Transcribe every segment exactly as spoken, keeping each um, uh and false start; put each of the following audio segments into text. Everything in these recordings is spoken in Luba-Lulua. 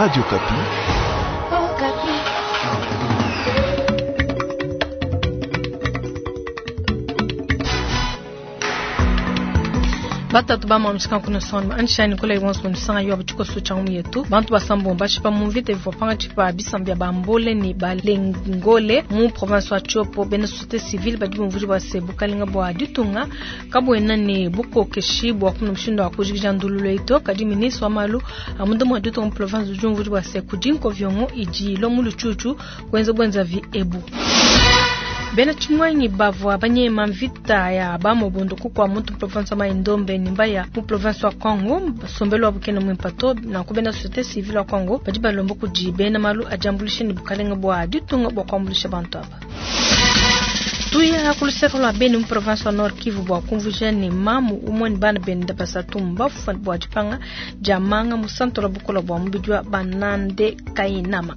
Radio Okapi. Batatu bamamishika kuna son anshani kula ibonso nisanga yo abuchiko sucha yetu bantu basambo bashipa mu mvita bivua pangatshi bisamba bia bambole ni balengole mu province wa Tshopo bena société civile badi bumvuji bua se bukalenga bua ditunga kabuena ne bukokeshi bua kumuna mushindu wa kujikija ndululu eyi kadi ministre wa malu a munda mua ditunga mu province udi umvuji bua se kudi nkoviongo idi ilua mu lutshutshu kuenza buenzavi ebu. Bena Tshimwangi bavua banyema mvita ya bamobondo kukwa muntu province wa Mai-Ndombe ni mbaya mu province wa Congo sombelo wa bukene mwimpato na kubena société civile wa Congo badi balomba kudi bena malu ajambulisha ni bukalenga bua ditunga bua kuambulisha bantu aba. Tuya kuluseka lwa Beni mu province wa Nord Kivu bua kumvuja ni mamu umwe ni bana benda basatu mbafu bua dipanga dia manga mu santo la bukola bua mubidi wa banande kainama.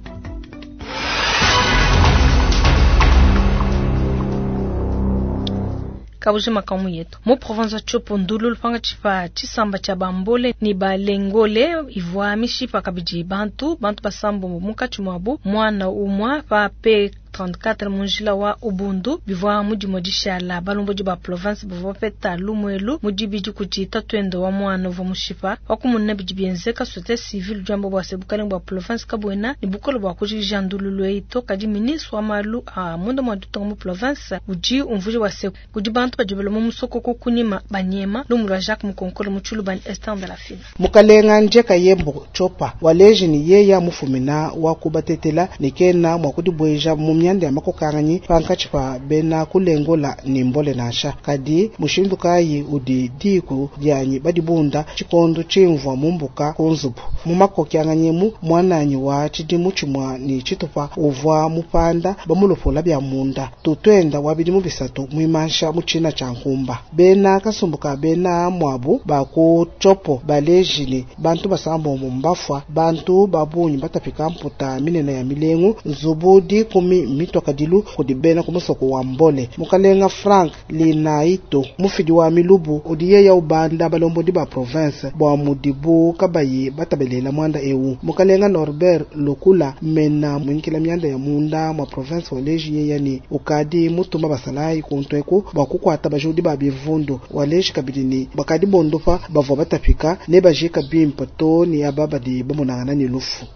Kabuji makamu yetu mu province ya Tshopo ndulu lupanga tshipa tshisamba tshia bambole ni balengole ivua mishipa kabidi bantu bantu basambo munkatshi muabu mwana umwa pa P trente-quatre munjila wa Ubundu bivua mudimo dishala balombodi ba province bavua bapeta lumuelu mudibidi kudi tatuende wa mwana uvua mushipa wakumuna bidi bienzeka société civile jambo bua se bukalenga bua province kabuena ni bukolo bua kujikija ndululu eyi to kadi ministre wa malu a munda mua ditunga mu province udi umvuja bua se kudi bantu badi baloma musokoko kunyima banyema lumu lwa Jacques Mukonkolo mu Tshilubani Esther de la Fine. Mukalenga Njeka Yembo Chopa waleji ni yeya mufumina wa kubatetela ni kena mwa kudibweja mu myanda ya makokanganyi pankatshi pa bena kulengola ni mbole nansha kadi mushindu kayi udi diku dianyi badibunda tshikondo tshimvua mumbuka ku nzubu mu makokyanganyemu mwananyi wa tshidimu tshimua ni tshitupa uvua mupanda bamulopola bya munda tutwenda wa bidimu bisatu mwimansha mu tshina tshia nkumba bena kasumbuka bena mwabu ba ku Tshopo balejile bantu basambombo mbafua bantu babunyi batapika mputa minene ya milengu nzubu dikumi mitwakadilu kudi bena ku musoko wa mbole mukalenga Frank Linaito mufidi wa milubu udi yeya ubanda balombodi ba province bua mudibu kabayi batabelela mwanda ewu mukalenga Norbert Lukula mena mwinkila myanda ya munda mwa province waleji yeya ni ukadi mutuma basalayi kuntweku bua kukwata bajudi ba bivundu waleji kabidi ni bakadi bondopa bavua batapika ne bajika bimpa to ni aba badi bamonangana ni lufu.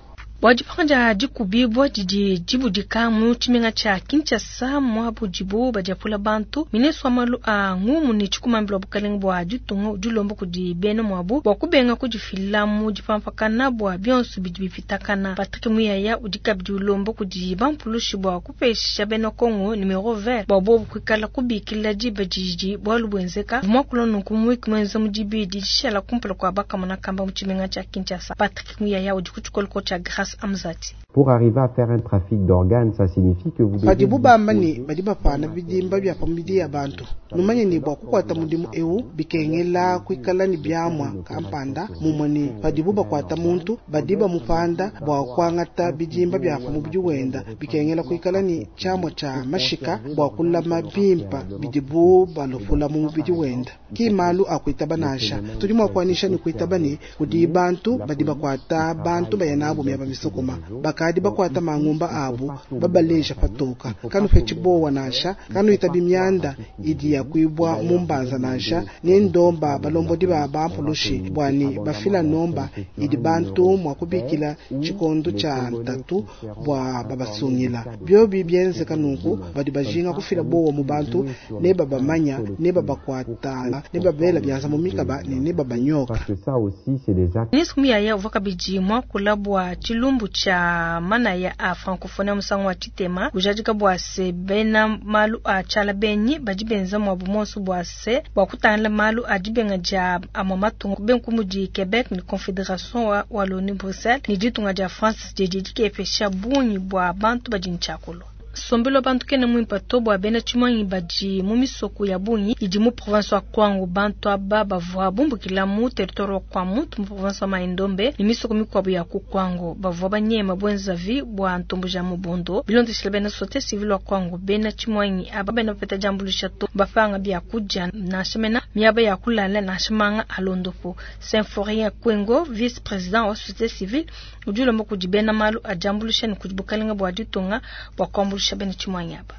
Bua dipanga dikubibwa didi dibudika mu tshimenga tshia Kinshasa muabu dibu badiapula bantu ministre wa malu a ngumu ne tshikumambila bukalenga bua ditunga udi ulomba kudi bena muabu bua kubenga kudifila mu dipampakana bua bionso bidi bipitakana. Patrick Muyaya udi kabidi ulomba kudi bampulushi bua kupesha bena Kongo numero vert bua bobu kuikala kubikila diba didi bualu buenzeka muakula nunku mu wiki muenza mu dibidi dishala kumpala kua bakamona kamba mu tshimenga tshia Kinshasa. Patrick Muyaya udi ku tshikoloko tshia Grâce Amzati. Pour arriver à faire un trafic d'organes, ça signifie que vous devez Padibu bamba ni badi bapana bidimba bya pamidi ya bantu numanye ni bua kukwata mudimu ewu bikengela kuikala ni byamwa kampanda mumwe ni padibu bakwata muntu badi bamupanda bua kuangata bidimba bya pamubidi wenda bikengela kuikala ni tshiamwa tshia mashika bua kulama bimpa bidibu balopula mu mubidi wenda ki malu akuitaba nansha tudi mua kuanisha ni kuitaba ni kudi bantu badi bakwata bantu bayanabo myaba misokoma bakadi bakwata mangumba abu babaleja patoka kanu fetibowa nansha kanu itabi myanda idi ya kuibwa mumbanza nansha ni ndomba balombodi ba bampulushi bwani bafila nomba idi bantu mwa kubikila tshikondo tshia ntatu bua babasungila byobi byenzeka nunku badi bajinga kufila bowa mu bantu ne babamanya ne babakwata ne babela byanza mu mikaba ne ne babanyoka. Parce que ça aussi c'est des actes. Ministre Muyaya uvua kabidi muakula bua tshilumbu tshia manaya a francophonie musangu wa tshitema ujadika bua se bena malu a tshiala benyi badi benza muabu monso bua se bua kutangila malu a dibenga dia amua matunga benku mudi Quebec ni Confédération wa Wallonie Bruxelles ni ditunga dia France didi dikepesha bungi bua bantu badi ntshiakulu. Nsombelu wa bantu kena muimpe to bua bena tshimuangi badi mu misoko ya bungi idi mu province wa Kwango. Bantu aba bavua bumbukila mu territoire wa Kwamouth mu province wa Mai-Ndombe ne misoko mikuabu ya ku Kwango. Bavua banyema buenzavi bua ntomboji ya Mobondo. Bilondeshile bena société civile wa Kwango, bena tshimuangi aba bena bapeta diambuluisha to bapanga bia kudia nansha mena miaba ya kulala nansha manga a luondapu. Symphorien Kwengo, vice président wa société civile, udi ulomba kudi bena malu a diambuluisha ne kudi bukalenga bua ditunga bua kuambuluisha bena tshimuangi aba.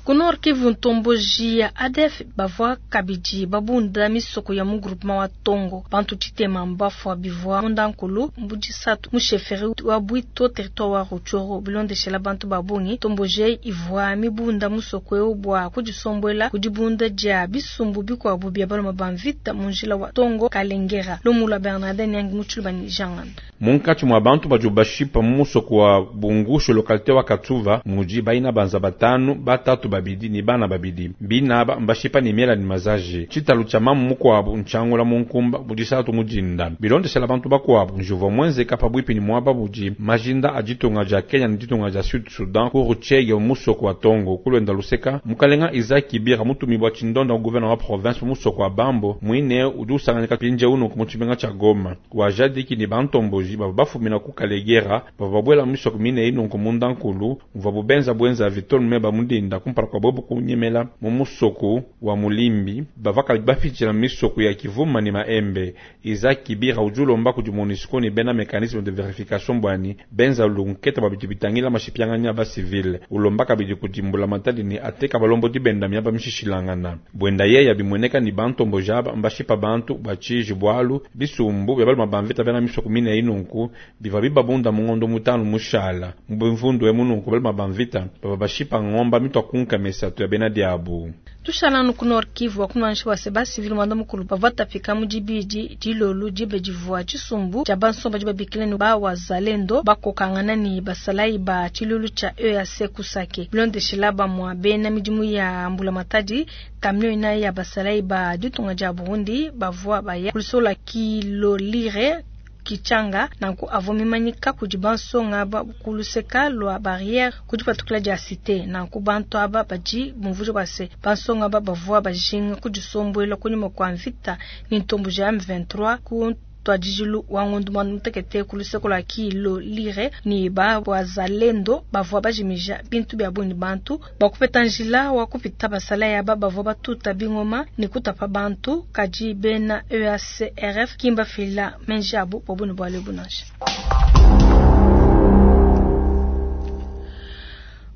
Ku Nord Kivu, ntomboji ya A D F bavua kabidi babunda misoko ya mu groupement wa Tongo. Bantu tshitema mbafua bivua mundankulu mu disatu mu chefferie wa Bwito, territoire wa Rutshuru. Bilondeshela bantu ba bungi, ntomboji ivua mibunda musoko eu bua kudisombuela ku dibunda dia bisumbu bikuabu bia baluma ba mvita mu njila wa Tongo Kalengera. Lumu lua Bernardin Nyangi Mutshilubani Janganda. Munkatshi mua bantu badi bashipa mu musoko wa Bungushu, localité wa Katsuva, mudi baina banza batanu, batatu babidi ni bana babidi. Binaba mbashipa ni miela ni mazaji. Tshitalu tshia mamu mukuabu ntshiangula mu nkumba mudisatu mudinda. Bilondeshela bantu bakuabu, njuvua muenzeka pabuipi ni muaba budi majinda a ditunga dia Kenya ni ditunga dia Sud Sudan ku Ruchege musoko wa Tongo. Kulwenda luseka mukalenga Isaac Kibira mutumibwa tshindonda gouverneur wa province musoko wa Bambo mwine udi usanganyika pinje unu mu tshimenga tshia Goma wajadiki ni bantomboji bava bafumina ku Kalegera bava babwela misoko mine inunku mundankulu muvua bubenza bwenza vitolu meba mudinda kumpala kwa bobu kunyemela mu musoko wa Mulimbi bava kali bapitshila misoko ya Kivuma ni Maembe. Isaac Kibira udi ulomba kudi MONUSCO ni bena mécanisme de vérification bwani benza lunketa babidi bitangila mashipianganya ba civil. Ulomba kabidi kudimbula matadi ni ateka balombo dibenda miaba mishishilangana bwenda yeya bimweneka ni bantomboji aba mbashipa bantu bachiji bwalu bisumbu bya baluma bamvita bena misoko mine inunku biva bibabunda mungondo mutanu mushala mubimvundu emununku baluma bamvita bava bashipa ng'omba mitwa kunka mesatu ya bena diabu. Tushala ku Nord Kivu, wakumanisha wa seba civil mwanda mukulu bavua tapika mu dibidi dilolu dibe divua tshisumbu tshia bansomba dibabikila ni ba wazalendo bakokangana ni basalayi ba tshilulu tshia E A C kusake. Bilondeshela bamua bena midimu ya mbula matadi, camion inayi ya basalayi ba ditunga dia Burundi bavua baya kulisola Kilolire Kichanga nanku avua mimanyika kudi bansonga ba kuluseka lua barrière kudi patukila dia cité. Nanku bantu aba badi bumvuja bua se bansonga aba bavua bajinga kudisombuela kunyima kua mvita ni ntomboji ya M vingt-trois ku ntuadijilu wa ngondo muanda mutekete ku luseke lua Kilolire ni ba wazalendo bavua bajimija bintu bia bungi bantu bakupeta njila wa kupita. Basalayi aba bavua batuta bingoma ni kutapa bantu, kadi bena E A C R F kimba fila menji abu bua bune bua lebu nansha.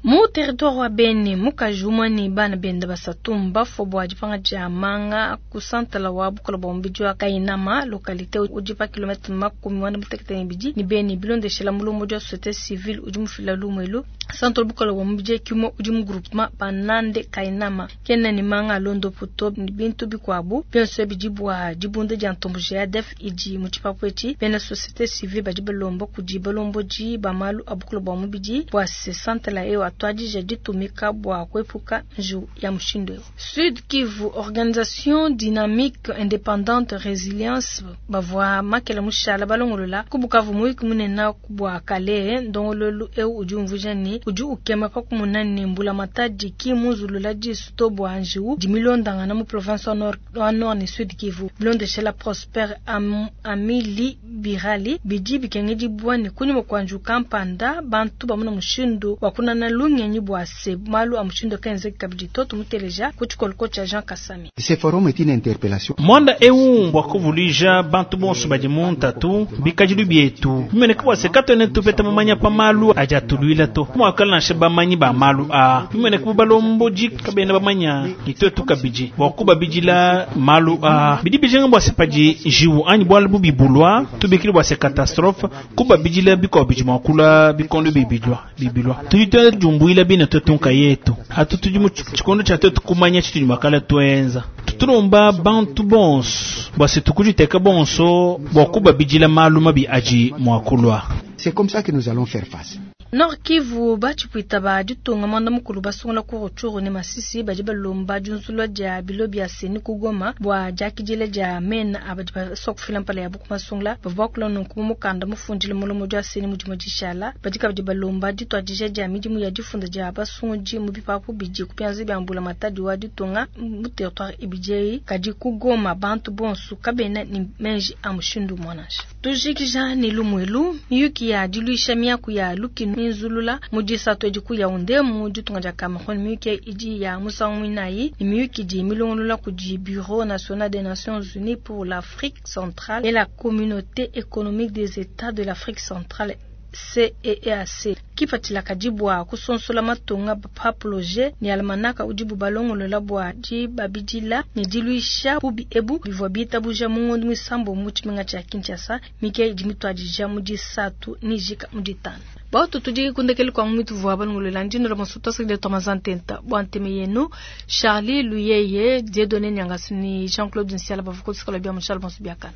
Mu territoire wa Beni, mukaji umue ne bana benda basatu mbafua bua dipanga dia manga ku santala wa bukola bua mubidi wa Kainama, localité udi pa kilomètre makumi muanda mutekete ne ibidi ni Beni. Bilondeshela mulombodi wa société civile udi mufila lumu, centre bukola bua mubidi kimwe udi mu groupement Banande Kainama kena ni manga a luondapu to ni bintu bikuabu bionso bidi bua dibunda dia ntomboji ya A D F idi mu tshipapu etshi. Bena société civile badi balomba kudi balombodi ba malu a bukola bua mubidi bua se santala eyo atuadija ditumika bua kuepuka njiwu ya mushindu eu. Sud Kivu, organisation dynamique indépendante résilience bavua makela mushala balongolola ku Bukavu muyuki munene bua kale. Ndongololu eu udi umvuija ni udi ukema pa kumona ni mbula matadi ki munzulula disu to bua njiwu dimilondangana mu province wa Nord, wa Nord ni Sud Kivu. Bilondeshela Prosper Am, Amili Birali, bidi bikengedibua ni kunyima kua njiwu kampanda bantu bamuna mushindu wa kunana lungenyi bua se malu a mushindu akenzeki kabidi to. Tumuteleja ku tshikoloko tshia Jean Kasami. Ce forum est une interpellation. Mwanda eu bua kuvuluija bantu bonso badi mu ntatu bikadilu bietu bimeneka bua se katuena tupeta mamanya pa malu adi atuluila to muakala nansha bamanyi ba malu a bimeneka bu balombodi kabena bamanya ni tuetu kabidi bua kubabidila malu a bidi bijinga bua se padi njiwu anyi bualu bubi bulua tubikile bua se catastrophe kubabidila bikuabu bidi mua kulua bikondo bibilua bibilua tudi tuenda jumbuila bine tuetu nkayetu atu tudi mu tshikondo tshia tuetu kumanya tshitudi makala tuenza. Tutulomba bantu bonso bua se tukuditeka bonso bua kubabidila malu mabi adi mua kulua. C'est comme ça que nous allons faire face. Nord Kivu batshipwita ba ditunga mwanda mukulu basungula ku Rutshuru ne Masisi badi balomba diunzulwa dia bilo bia CENI ku Goma bua diakidila dia mena abadi basua kufila mpala yabu ku masungula bavua bakula nunku mu mukanda mufundile mulomo dia CENI mu dimue dishala. Badi kabidi balomba dituadija dia midimu ya difunda dia basungudi mu bipapu bidi ku bianza bia mbula matadi wa ditunga mu territoire ibidi kadi ku Goma bantu bonso kabena ni menji a mushindu mwanasha. Tujikija ni lumwelu miyuki ya diluisha miaku ya lukinu minzulula mu disatu edi ku Yaounde mu ditunga dia Cameroun. Miyuki idi ya musangu muinayi ni miyuki idi milongolola kudi Bureau national des Nations Unies pour l'Afrique centrale et la Communauté économique des États de l'Afrique centrale C E E A C. Kipatshila kadi bua kusonsola matunga paprojet ni almanaka udi bubalongolola bua dibabidila ne diluisha bubi ebu bivua bitabuja mu ngondo muisambo mu tshimenga tshia Kinshasa. Mike idi mituadija mu disatu ni jika mu ditanu. Bautu tudi kundekeli kwa mwitu vua balongolola ndino la masuta sakide tomazantenta bua nteme yenu Charlie Luyeye Dieudonné Nyangasu ni Jean-Claude Nsiala bavuko tsikola bia mushala bonso biakana.